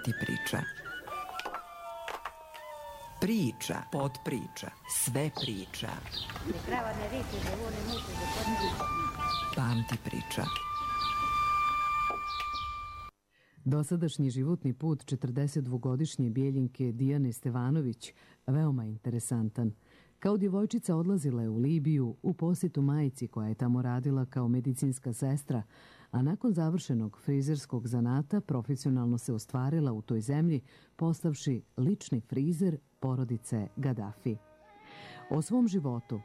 Pamti priča. Priča, podpriča, sve priča. Pamti priča. Dosadašnji životni put 42-godišnje Bijeljinke Dijane Stevanović veoma interesantan. Kao djevojčica odlazila je u Libiju u posjetu majci koja je tamo radila kao medicinska sestra, a nakon završenog frizerskog zanata profesionalno se ostvarila u toj zemlji postavši lični frizer porodice Gadafi. O svom životu,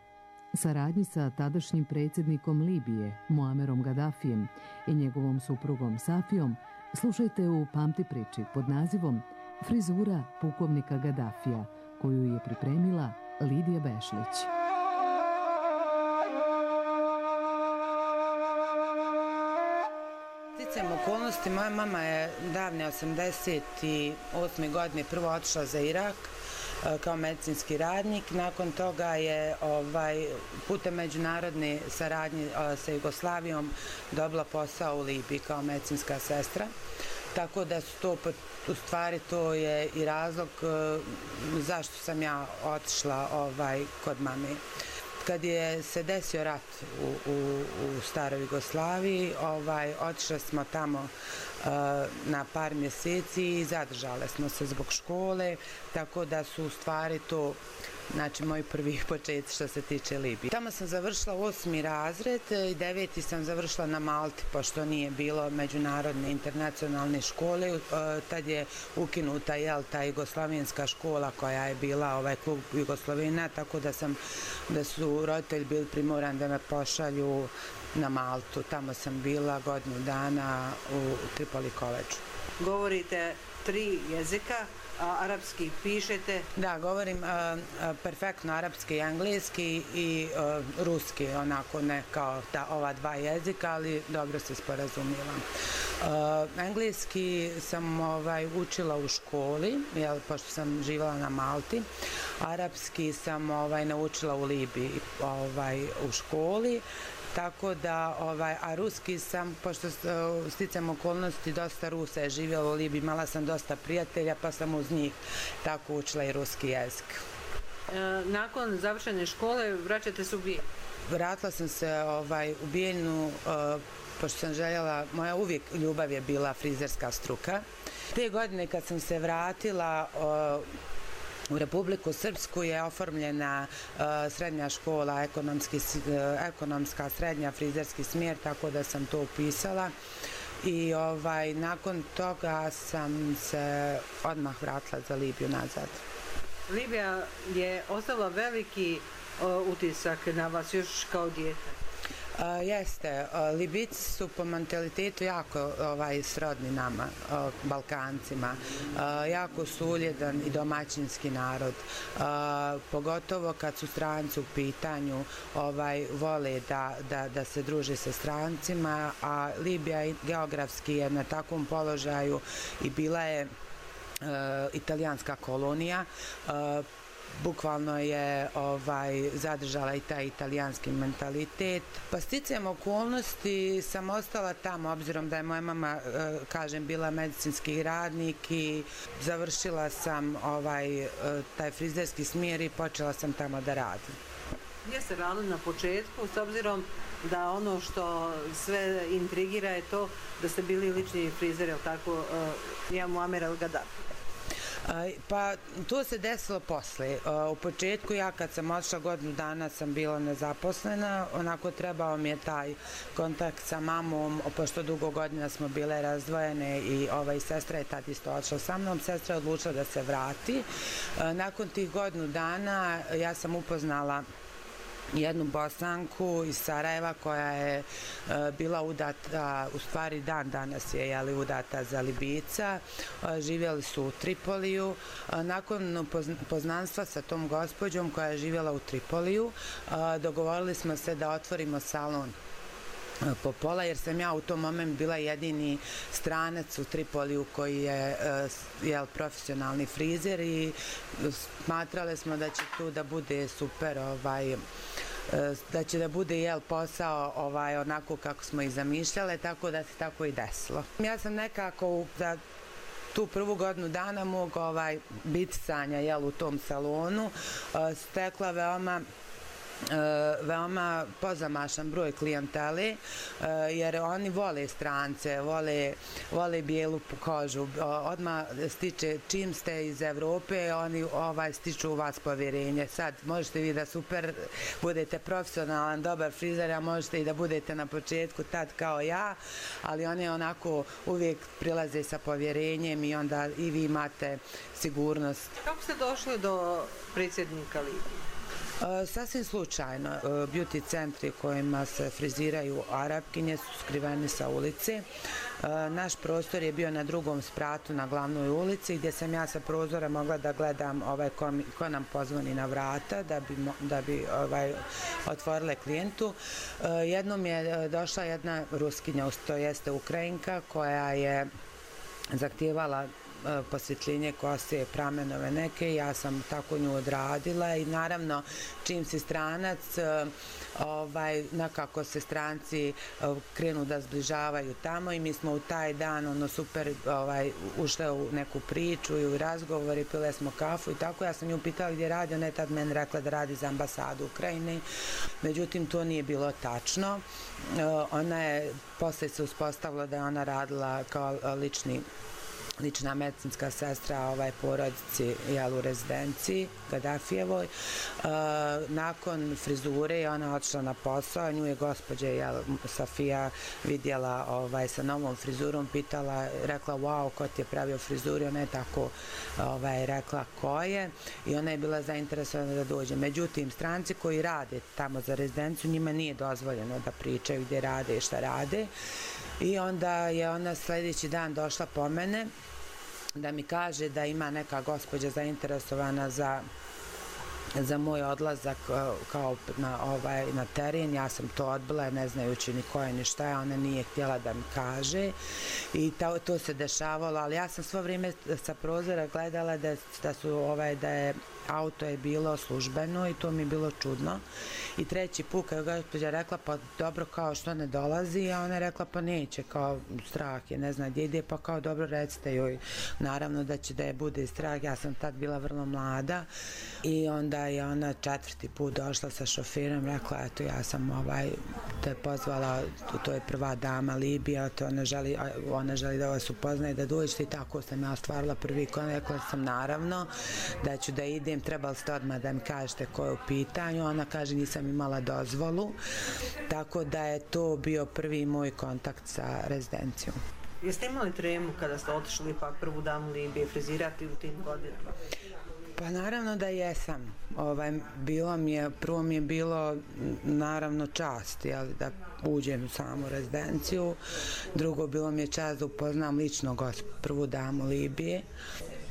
saradnji sa tadašnjim predsjednikom Libije Muamerom Gadafijem i njegovom suprugom Safijom slušajte u Pamti priči pod nazivom Frizura pukovnika Gadafija, koju je pripremila Lidija Bešlić. Sticajem okolnosti, moja mama je davne 88. godine prvo otišla za Irak kao medicinski radnik. Nakon toga je putem međunarodne saradnje sa Jugoslavijom dobila posao u Libiji kao medicinska sestra. Tako da su to, u stvari to je i razlog zašto sam ja otišla kod mame. Kad je se desio rat u staroj Jugoslaviji, otišli smo tamo na par mjeseci i zadržale smo se zbog škole, tako da su u stvari to, znači, moji prvi početi što se tiče Libije. Tamo sam završila 8. razred i 9. sam završila na Malti, pošto nije bilo međunarodne internacionalne škole. Tad je ukinuta ta jugoslavenska škola koja je bila klub Jugoslavena, tako da su roditelji bili primorani da me pošalju na Maltu. Tamo sam bila godinu dana u Tripoli koledžu. Govorite 3 jezika, a arapski pišete? Da, govorim perfektno arapski i engleski i ruski, onako ne kao ova 2 jezika, ali dobro se sporazumijevam. Engleski sam učila u školi, pošto sam živjela na Malti. Arapski sam naučila u Libiji u školi. Tako da, a ruski sam, pošto sticam okolnosti, dosta Rusa je živjela u Libiji, imala sam dosta prijatelja, pa sam uz njih tako učila i ruski jezik. Nakon završene škole vraćate se u Bijeljinu? Vratila sam se u Bijeljinu, pošto sam željela, moja uvijek ljubav je bila frizerska struka. Te godine kad sam se vratila u Republiku Srpsku je oformljena srednja škola, ekonomska srednja frizerski smjer, tako da sam to upisala i nakon toga sam se odmah vratila za Libiju nazad. Libija je ostavila veliki utisak na vas još kao dijete. Jeste, Libijci su po mentalitetu jako srodni nama, Balkancima, jako su uljedan i domaćinski narod, pogotovo kad su stranci u pitanju, vole da se druže sa strancima, a Libija geografski je na takvom položaju i bila je italijanska kolonija, bukvalno je zadržala i taj italijanski mentalitet. Pa sticajem okolnosti sam ostala tamo, obzirom da je moja mama, kažem, bila medicinski radnik i završila sam taj frizerski smjer i počela sam tamo da radim. Gdje ste radili na početku, s obzirom da ono što sve intrigira je to da ste bili lični frizer, je li tako, Muamer el-Gadafi? Pa to se desilo posle. U početku ja kad sam otišla godinu dana sam bila nezaposlena, onako trebao mi je taj kontakt sa mamom, pošto dugo godina smo bile razdvojene i sestra je tad isto otišla sa mnom, sestra je odlučila da se vrati. Nakon tih godinu dana ja sam upoznala jednu Bosanku iz Sarajeva koja je bila udata, u stvari dan danas je udata za Libijca, živjeli su u Tripoliju. Nakon poznanstva sa tom gospođom koja je živjela u Tripoliju, dogovorili smo se da otvorimo salon po pola, jer sam ja u tom momentu bila jedini stranac u Tripoliju koji je profesionalni frizer i smatrali smo da će tu da bude super, da će da bude posao onako kako smo i zamišljale, tako da se tako i desilo. Ja sam nekako tu prvu godinu dana mog bitisanja u tom salonu stekla veoma pozamašan broj klijentele, jer oni vole strance, vole bijelu kožu. Odmah stiče, čim ste iz Evrope, oni stiču u vas povjerenje. Sad možete vi da super budete profesionalan, dobar frizer, a možete i da budete na početku tad kao ja, ali oni onako uvijek prilaze sa povjerenjem i onda i vi imate sigurnost. Kako ste došli do predsjednika Libije? Sasvim slučajno. Beauty centri kojima se friziraju Arapkinje su skriveni sa ulice. Naš prostor je bio na drugom spratu na glavnoj ulici gdje sam ja sa prozora mogla da gledam ko nam pozvoni na vrata da bi otvorile klijentu. Jednom je došla jedna Ruskinja, to jeste Ukrajinka, koja je zahtijevala posvjetljenje kose, pramenove neke, ja sam tako nju odradila i naravno čim si stranac, nekako se stranci krenu da zbližavaju tamo i mi smo u taj dan super ušle u neku priču i u razgovor i pile smo kafu i tako. Ja sam nju pitala gdje radi, ona je tad meni rekla da radi za ambasadu Ukrajine, međutim to nije bilo tačno. Ona je, posle se uspostavila da je ona radila kao lična medicinska sestra porodici u rezidenciji Gaddafijevoj. Nakon frizure je ona otišla na posao, nju je gospođa Safija vidjela sa novom frizurom, pitala, rekla wow, ko ti je pravio frizuru, ona je tako rekla ko je i ona je bila zainteresovana da dođe. Međutim, stranci koji rade tamo za rezidenciju, njima nije dozvoljeno da pričaju gdje rade i šta rade. I onda je ona sljedeći dan došla po mene da mi kaže da ima neka gospođa zainteresovana za moj odlazak kao na teren. Ja sam to odbila ne znajući ni ko je ni šta je, ona nije htjela da mi kaže i to se dešavalo, ali ja sam svo vrijeme sa prozora gledala da je auto je bilo službeno i to mi je bilo čudno. I treći put kad je gospođa rekla pa dobro, kao što ne dolazi, a ona je rekla pa neće, kao strah je, ne zna gdje ide, pa kao dobro recite joj naravno da će da je bude strah. Ja sam tad bila vrlo mlada i onda je ona četvrti put došla sa šoferom, rekla eto ja sam te pozvala, to je prva dama Libija, ona želi da vas upoznaje, da dođete i tako sam ja ostvarila prvi kontakt. Rekla sam naravno da ću da idem, trebali ste odmah da mi kažete ko je u pitanju. Ona kaže nisam imala dozvolu, tako da je to bio prvi moj kontakt sa rezidencijom. Jeste imali tremu kada ste otišli ipak prvu damu Libije frizirati u tim godinama? Pa naravno da jesam. Prvo mi je bilo naravno čast da uđem u samu rezidenciju, drugo bilo mi je čast da upoznam lično prvu damu Libije.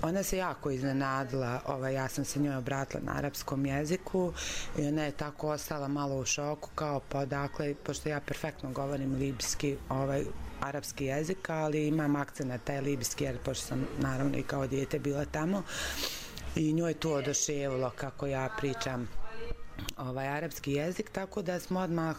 Ona se jako iznenadila, ja sam se njoj obratila na arapskom jeziku i ona je tako ostala malo u šoku kao pa odakle, pošto ja perfektno govorim libijski, arapski jezik, ali imam akcent na taj libijski jer pošto sam naravno i kao dijete bila tamo i njoj to oduševilo kako ja pričam arapski jezik, tako da smo odmah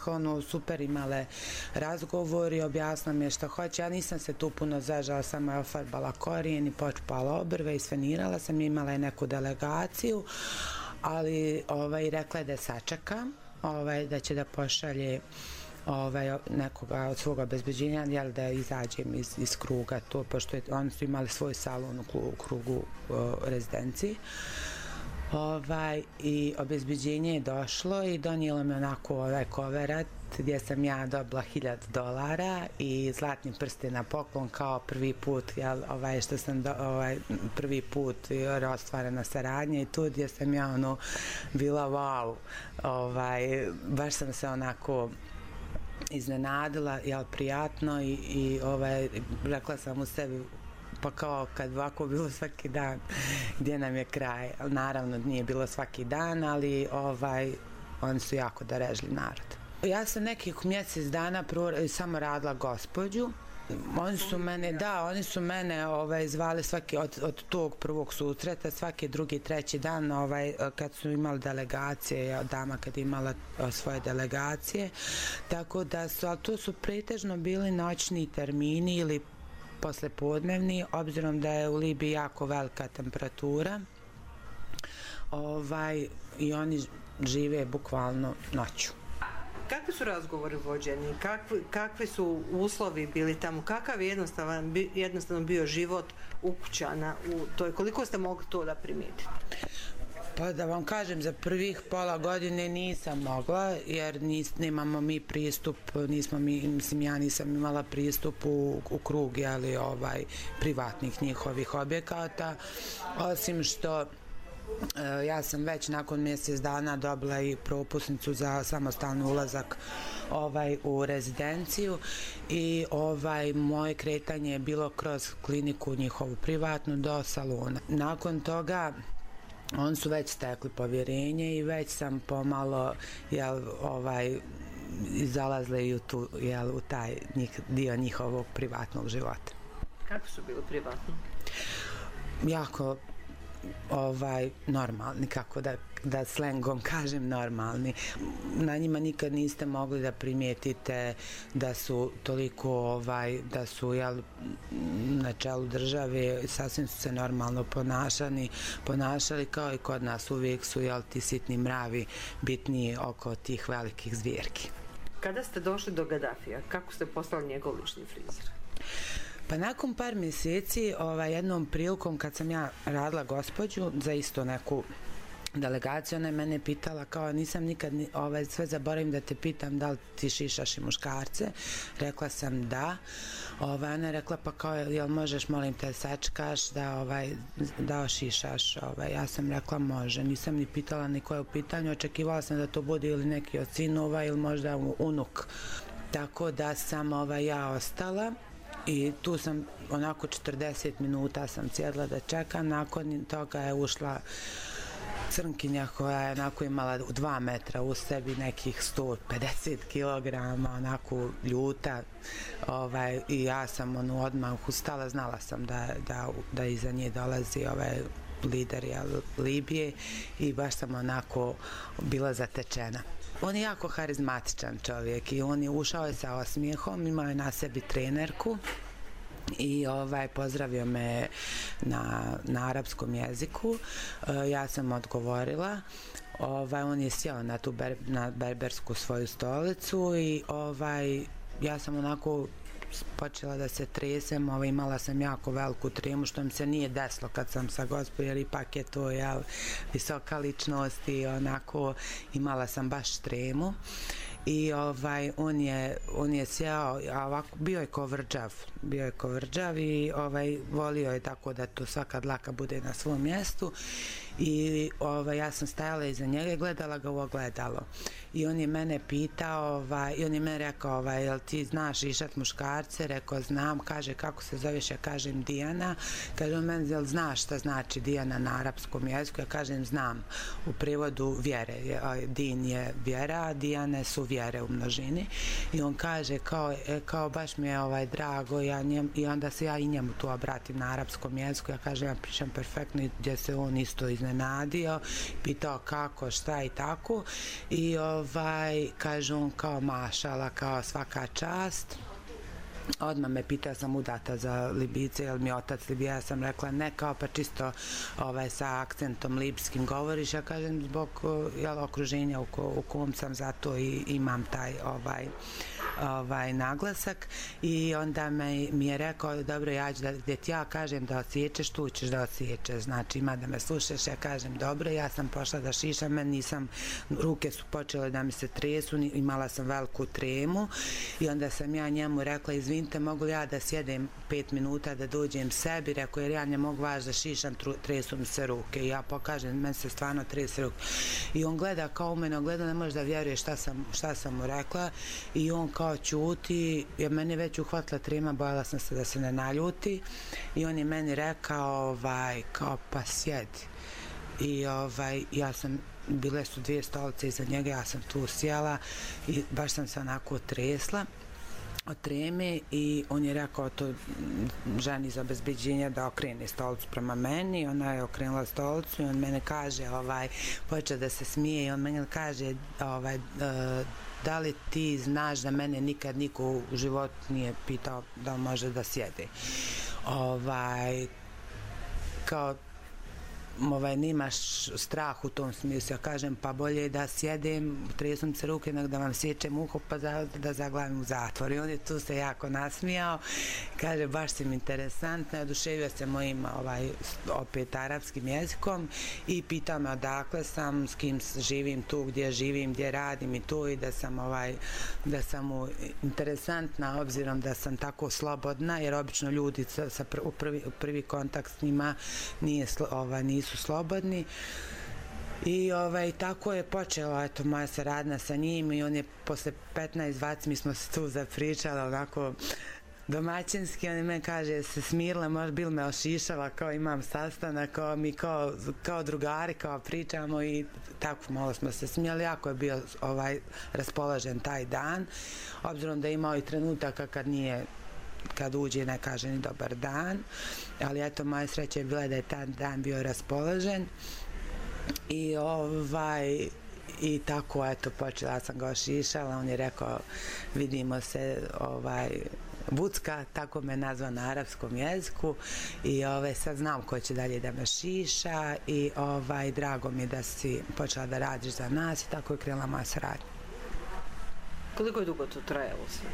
super imale razgovor i objasnila mi je što hoće. Ja nisam se tu puno zažala, samo je ofarbala korijen i počupala obrve i svenirala sam, imala je neku delegaciju, ali rekla je da sačeka, da će da pošalje nekoga od svoga obezbeđenja da izađem iz kruga to, pošto oni su imali svoj salon u krugu rezidenciji. I obezbeđenje je došlo i donijelo mi onako koverat gdje sam ja dobila $1000 i zlatni prsten na poklon kao prvi put, što sam prvi put ostvarena saradnja i tu gdje sam ja bila wow, baš sam se onako iznenadila, prijatno i rekla sam u sebi pa kao kad ovako bilo svaki dan gdje nam je kraj. Naravno nije bilo svaki dan, ali oni su jako darežljiv narod. Ja sam nekih mjesec dana samo radila gospođu. Oni su mene zvali svaki od tog prvog susreta, svaki drugi, treći dan kad su imali delegacije, dama kad je imala svoje delegacije, tako da su, ali to su pretežno bili noćni termini ili poslepodnevni, obzirom da je u Libiji jako velika temperatura. I oni žive bukvalno noću. Kakvi su razgovori vođeni? Kakvi su uslovi bili tamo? Kakav je jednostavno bio život ukućana u toj? Koliko ste mogli to da primijetite? Pa da vam kažem, za prvih pola godine nisam mogla, jer nemamo mi pristup, ja nisam imala pristup u krug, privatnih njihovih objekata, osim što ja sam već nakon mjesec dana dobila i propusnicu za samostalni ulazak u rezidenciju i moje kretanje je bilo kroz kliniku njihovu privatnu do salona. Nakon toga oni su već stekli povjerenje i već sam pomalo zalazili u taj dio njihovog privatnog života. Kako su bili privatni? Jako normalni, kako da slengom kažem normalni. Na njima nikad niste mogli da primijetite da su toliko, da su na čelu države, sasvim su se normalno ponašali kao i kod nas. Uvijek su ti sitni mravi bitniji oko tih velikih zvjerki. Kada ste došli do Gadafija, kako ste postali njegov lični frizer? Pa nakon par mjeseci, jednom prilikom kad sam ja radila gospođu za isto neku delegaciju, ona je mene pitala kao nisam nikad, sve zaboravim da te pitam da li ti šišaš i muškarce. Rekla sam da. Ona je rekla pa kao jel možeš molim te sačekaš da ošišaš. Ja sam rekla može. Nisam ni pitala ni koje u pitanju. Očekivala sam da to bude ili neki od sinova ili možda unuk. Tako da sam ja ostala. I tu sam onako 40 minuta sam sjedla da čekam, nakon toga je ušla crnkinja koja je onako imala 2 metra u sebi, nekih 150 kilograma, onako ljuta, i ja sam odmah ustala, znala sam da iza nje dolazi lider Libije i baš sam onako bila zatečena. On je jako harizmatičan čovjek i on je ušao sa osmijehom, imao je na sebi trenerku i pozdravio me na arapskom jeziku. Ja sam odgovorila. On je sjeo na berbersku svoju stolicu i ja sam onako počela da se tresem, imala sam jako veliku tremu, što mi se nije desilo kad sam sa gospođom, jer ipak je to visoka ličnost i onako imala sam baš tremu. I on je sjeo, a ovako bio je ko vrđav i volio je tako da to svaka dlaka bude na svom mjestu i ja sam stajala iza njega i gledala ga u ogledalo i on je mene pitao i on je mene rekao jel ti znaš šišat muškarce? Rekao znam. Kaže kako se zoveš? Ja kažem Dijana. Kaže on meni jel znaš šta znači Dijana na arapskom jeziku? Ja kažem znam, u prevodu vjere. Din je vjera, a Dijane su vjere u množini i on kaže kao baš mi je drago i onda se ja i njemu tu obratim na arapskom jeziku. Ja kažem ja pričam perfektno i gdje se on isto iznenadio, pitao kako, šta i tako i kaže on kao mašala, kao svaka čast. Odmah me pitao sam udata za Libijce, jel mi je otac Libija, ja sam rekla ne, kao pa čisto sa akcentom libijskim govoriš, ja kažem zbog okruženja u kom sam, zato i imam taj naglasak i onda mi je rekao dobro ja ću gdje ti ja kažem da osjećeš, tu ćeš da osjećeš, znači ima da me slušaš, ja kažem dobro, ja sam pošla da šišam, ruke su počele da mi se tresu, imala sam veliku tremu i onda sam ja njemu rekla izvinite, mogu li ja da sjedem 5 minuta da dođem sebi, rekao jer ja ne mogu vaš da šišam, tresu mi se ruke i ja pokažem, meni se stvarno trese ruke i on gleda kao u mene, gleda, ne može da vjeruje šta sam mu rekla i on kao čuti, jer meni je već uhvatila trema, bojala sam se da se ne naljuti i on je meni rekao kao pa sjedi i ja sam, bile su 2 stolice iza njega, ja sam tu sjela i baš sam se onako tresla od treme i on je rekao to ženi za obezbeđenje da okrene stolicu prema meni, ona je okrenula stolicu i on mene kaže, počeo da se smije i on meni kaže da li ti znaš da mene nikad niko u životu nije pitao da može da sjede. Kao nemaš strah u tom smislu. Ja kažem, pa bolje je da sjedem, tresem se ruke, nego da vam sjećem uho, pa da zaglavim u zatvor. I on je tu se jako nasmijao. Kaže, baš si mi interesantna. Oduševio se mojim opet arapskim jezikom i pitao me odakle sam, s kim živim tu, gdje živim, gdje radim i to, i da sam mu interesantna, obzirom da sam tako slobodna, jer obično ljudi u prvi kontakt s njima nisu slobodni. I tako je počela moja saradnja sa njim, i on je posle 15-20 mi smo se tu zapričali onako domaćinski. On me kaže, se smirila, možda bil me ošišala, kao imam sastanak, kao drugari, kao pričamo, i tako malo smo se smijali. Jako je bio raspoložen taj dan, obzirom da je imao i trenutaka kad uđe ne kaže ni dobar dan, ali eto, moja sreća je bila da je taj dan bio raspoložen. I tako, eto, počela sam ga ošišala. On je rekao, vidimo se Vucka, tako me nazva na arapskom jeziku, i sad znam ko će dalje da me šiša, i drago mi je da si počela da radiš za nas, i tako je krenula moja saradnja. Koliko je dugo to trajalo sve?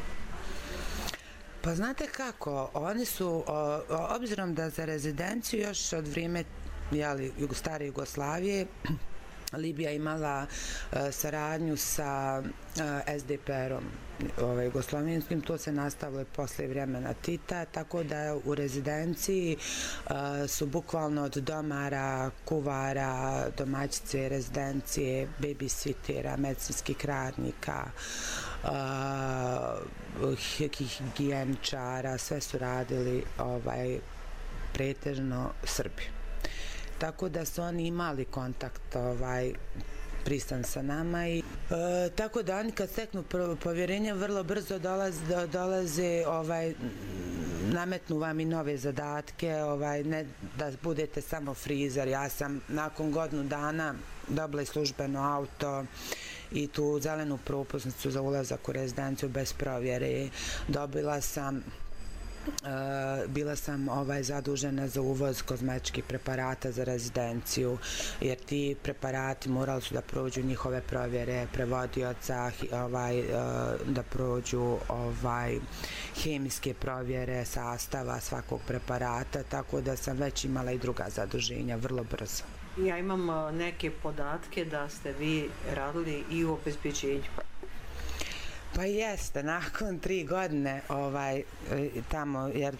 Pa znate kako, oni su, obzirom da za rezidenciju još od vrijeme stare Jugoslavije, Libija imala saradnju sa SDPR-om jugoslovenskim, to se nastavilo posle vremena Tita, tako da u rezidenciji su bukvalno od domara, kuvara, domaćice rezidencije, babysitera, medicinskih radnika, higijeničara, sve su radili pretežno Srbi. Tako da su oni imali kontakt pristan sa nama, i tako da oni kad steknu povjerenje vrlo brzo dolaze, nametnu vam i nove zadatke, ne da budete samo frizer. Ja sam nakon godinu dana dobila i službeno auto i tu zelenu propusnicu za ulazak u rezidenciju bez provjere. Bila sam zadužena za uvoz kozmetičkih preparata za rezidenciju, jer ti preparati morali su da prođu njihove provjere prevodioca, da prođu hemijske provjere sastava svakog preparata, tako da sam već imala i druga zaduženja vrlo brzo. Ja imam neke podatke da ste vi radili i u obezbeđenju. Pa jeste, nakon 3 godine tamo, jer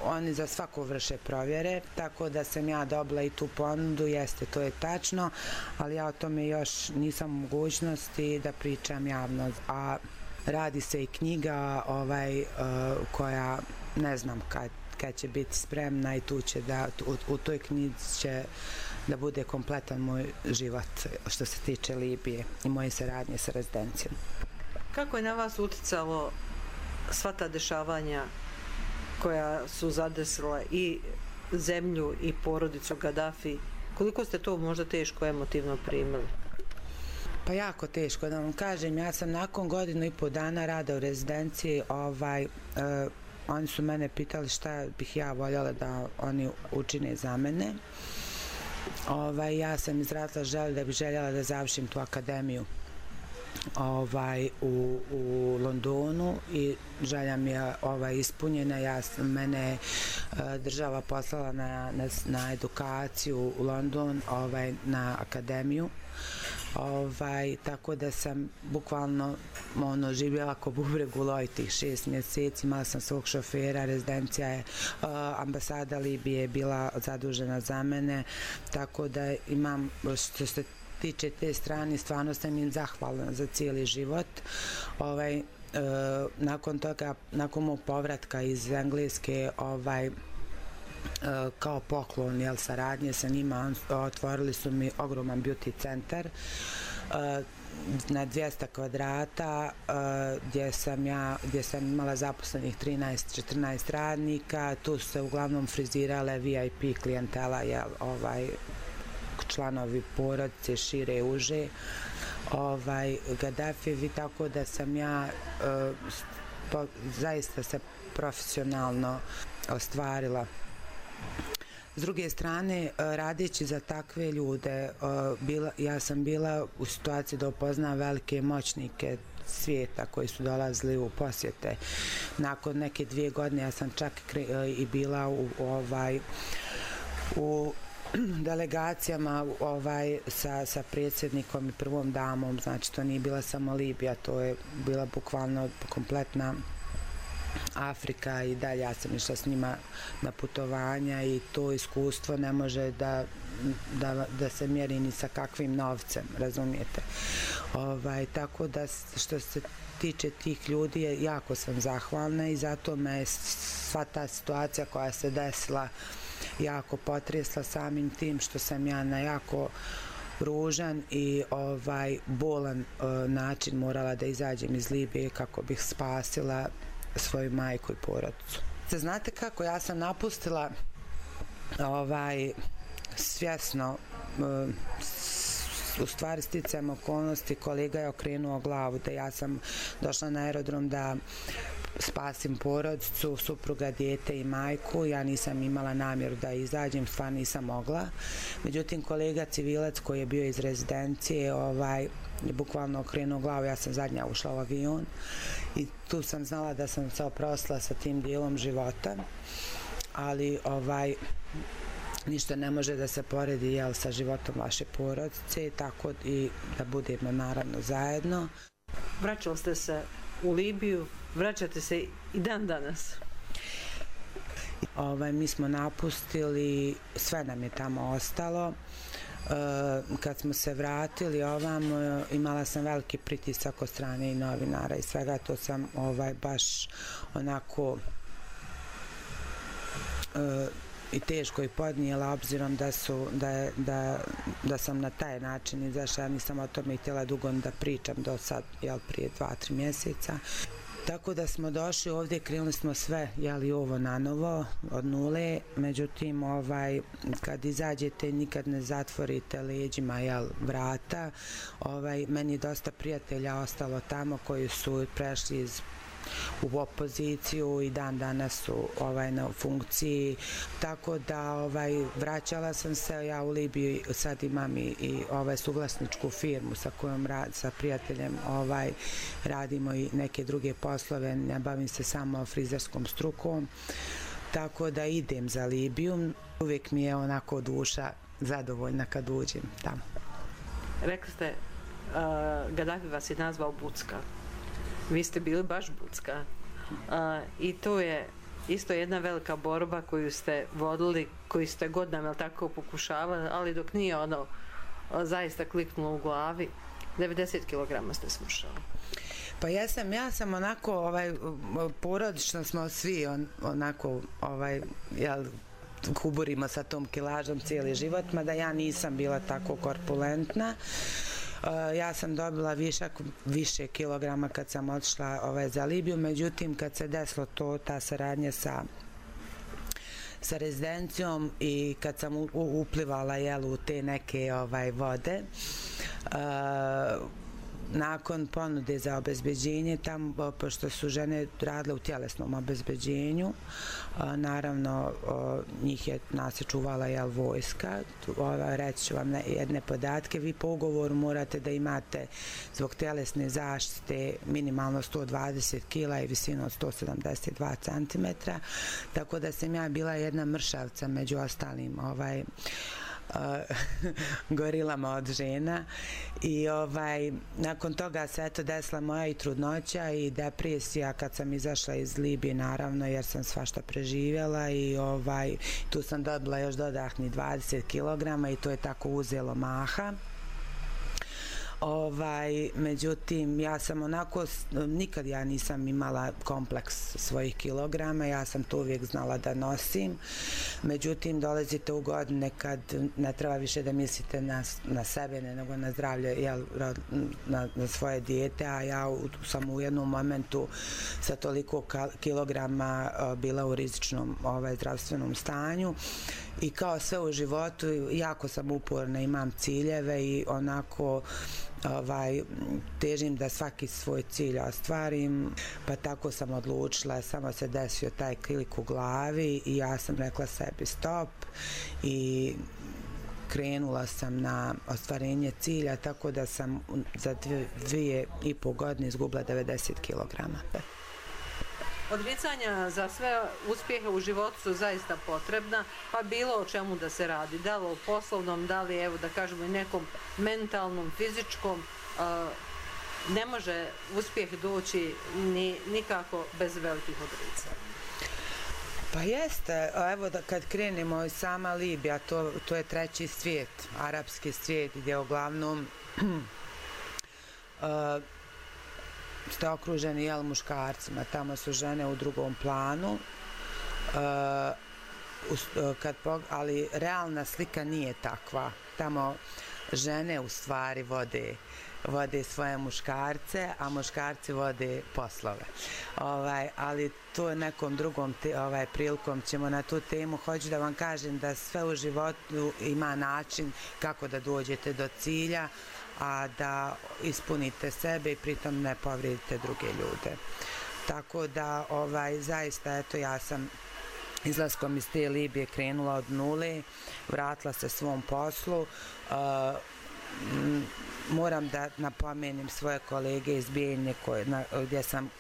oni za svako vrše provjere, tako da sam ja dobila i tu ponudu, jeste, to je tačno, ali ja o tome još nisam u mogućnosti da pričam javno. A radi se i knjiga koja ne znam kad će biti spremna, i u toj knjizi će da bude kompletan moj život što se tiče Libije i moje saradnje sa rezidencijom. Kako je na vas uticalo sva ta dešavanja koja su zadesila i zemlju i porodicu Gadafi? Koliko ste to možda teško emotivno primili? Pa jako teško, da vam kažem. Ja sam nakon 1,5 dana rada u rezidenciji, oni su mene pitali šta bih ja voljela da oni učine za mene. Ja sam izrazila da bih željela da završim tu akademiju u Londonu, i želja mi je ispunjena. Mene država poslala na edukaciju u London, na akademiju, tako da sam bukvalno živjela ko bubreg u loji tih 6 mjeseci. Imala sam svog šofera, rezidencija je, ambasada Libije je bila zadužena za mene, tako da imam, što se tiče te strane, stvarno sam im zahvalna za cijeli život. Nakon toga, nakon mog povratka iz Engleske, kao poklon saradnje sa njima, otvorili su mi ogroman beauty centar na 200 kvadrata, gdje sam imala zaposlenih 13-14 radnika. Tu su se uglavnom frizirale VIP klijentela, članovi porodice, šire, uže, Gaddafijevi, tako da sam ja zaista se profesionalno ostvarila. S druge strane, radeći za takve ljude, ja sam bila u situaciji da upoznam velike moćnike svijeta koji su dolazili u posjete. Nakon neke 2 godine ja sam čak i bila u delegacijama sa predsjednikom i prvom damom, znači to nije bila samo Libija, to je bila bukvalno kompletna Afrika i dalje. Ja sam išla s njima na putovanja i to iskustvo ne može da se mjeri ni sa kakvim novcem, razumijete. Tako da što se tiče tih ljudi, jako sam zahvalna i zato me sva ta situacija koja se desila jako potresla, samim tim što sam ja na jako ružan i bolan način morala da izađem iz Libije kako bih spasila svoju majku i porodicu. Znate kako, ja sam napustila svjesno, u stvari sticajem okolnosti, kolega je okrenuo glavu da ja sam došla na aerodrom da spasim porodicu, supruga, dijete i majku. Ja nisam imala namjeru da izađem, stvarno nisam mogla. Međutim, kolega civilac koji je bio iz rezidencije je bukvalno okrenuo glavu, ja sam zadnja ušla u avion i tu sam znala da sam se oprostila sa tim dijelom života, ali ništa ne može da se poredi sa životom vaše porodice, tako i da budemo naravno zajedno. Vraćali ste se u Libiju, vraćate se i dan danas. Mi smo napustili, sve nam je tamo ostalo. Kad smo se vratili ovamo, imala sam veliki pritisak od strane i novinara i svega, to sam baš onako i teško i podnijela, obzirom da sam na taj način izašla. Ja nisam o tome htjela dugo da pričam do sad, prije 2-3 mjeseca. Tako da smo došli ovdje, krenuli smo sve, ovo na novo, od nule, međutim, kad izađete nikad ne zatvorite leđima, vrata. Meni je dosta prijatelja ostalo tamo koji su prešli u opoziciju i dan danas su na funkciji, tako da vraćala sam se ja u Libiju, sad imam i suvlasničku firmu sa kojom sa prijateljem radimo i neke druge poslove, ne bavim se samo frizerskom strukom, tako da idem za Libiju, uvijek mi je onako duša zadovoljna kad uđem tamo. Rekli ste, Gaddafi vas je nazvao Bucka. Vi ste bili baš Bucka i to je isto jedna velika borba koju ste vodili, koju ste godinama tako pokušavali, ali dok nije zaista kliknulo u glavi, 90 kg ste smršali. Pa ja sam onako, porodično smo svi onako, kuburimo sa tom kilažom cijeli život, mada ja nisam bila tako korpulentna. Ja sam dobila više kilograma kad sam otišla za Libiju, međutim kad se desilo ta saradnja sa rezidencijom i kad sam uplivala u te neke vode, nakon ponude za obezbeđenje, tamo, pošto su žene radile u tjelesnom obezbeđenju, naravno nas je čuvala vojska. Reći ću vam jedne podatke, vi po ugovoru morate da imate zbog tjelesne zaštite minimalno 120 kg i visinu od 172 cm, tako da sam ja bila jedna mršavca među ostalim gorilama od žena i nakon toga se desila moja i trudnoća i depresija kad sam izašla iz Libije, naravno, jer sam svašta preživjela i tu sam dobila još dodatni 20 kg i to je tako uzelo maha. Međutim, ja sam onako, nikad ja nisam imala kompleks svojih kilograma, ja sam to uvijek znala da nosim. Međutim, dolazite u godine kad ne treba više da mislite na sebe, nego na zdravlje, na svoje dijete, a ja sam u jednom momentu sa toliko kilograma bila u rizičnom zdravstvenom stanju i kao sve u životu jako sam uporna, imam ciljeve i onako težim da svaki svoj cilj ostvarim, pa tako sam odlučila, samo se desio taj klik u glavi i ja sam rekla sebi stop i krenula sam na ostvarenje cilja, tako da sam za 2,5 godine izgubila 90 kilograma. Odricanja za sve uspjehe u životu su zaista potrebna, pa bilo o čemu da se radi, da li o poslovnom, da li evo da kažemo i nekom mentalnom, fizičkom, ne može uspjeh doći nikako bez velikih odricanja. Pa jeste, evo da kad krenemo sama Libija, to je treći svijet, arapski svijet gdje uglavnom ste okruženi muškarcima, tamo su žene u drugom planu, ali realna slika nije takva. Tamo žene u stvari vode svoje muškarce, a muškarci vode poslove. Ali to je nekom drugom prilikom ćemo na tu temu. Hoću da vam kažem da sve u životu ima način kako da dođete do cilja, a da ispunite sebe i pritom ne povrijedite druge ljude. Tako da, zaista, eto, ja sam izlaskom iz te Libije krenula od nule, vratila se svom poslu. Moram da napomenem svoje kolege iz Bijeljne gdje sam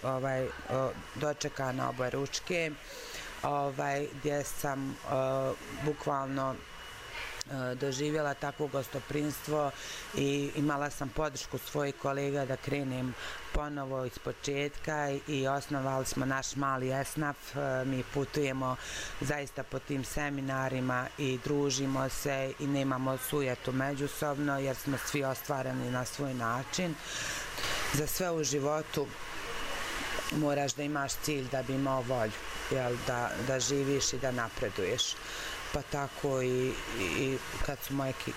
dočekana oba ručke, gdje sam bukvalno doživjela takvo gostoprimstvo i imala sam podršku svojih kolega da krenem ponovo iz početka i osnovali smo naš mali esnaf. Mi putujemo zaista po tim seminarima i družimo se i nemamo sujetu međusobno jer smo svi ostvareni na svoj način. Za sve u životu moraš da imaš cilj da bi imao volju, da živiš i da napreduješ. Pa tako i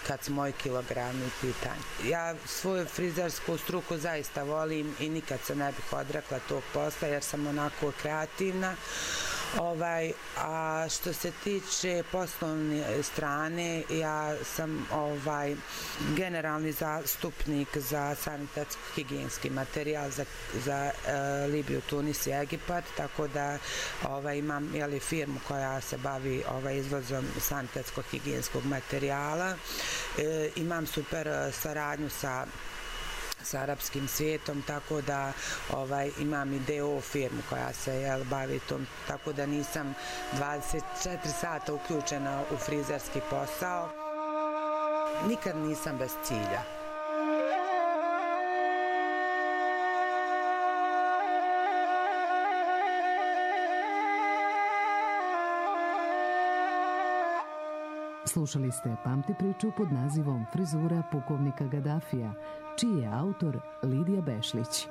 kad su moji kilogrami u pitanju. Ja svoju frizersku struku zaista volim i nikad se ne bih odrekla tog posla jer sam onako kreativna. A što se tiče poslovne strane, ja sam generalni zastupnik za sanitetsko-higijenski materijal za Libiju, Tunis i Egipat, tako da imam firmu koja se bavi izvozom sanitetsko-higijenskog materijala. Imam super saradnju sa arapskim svijetom, tako da imam i DO firmu koja se bavi tom, tako da nisam 24 sata uključena u frizerski posao. Nikad nisam bez cilja. Slušali ste Pamti priču pod nazivom Frizura pukovnika Gadafija, čiji je autor Lidija Bešlić.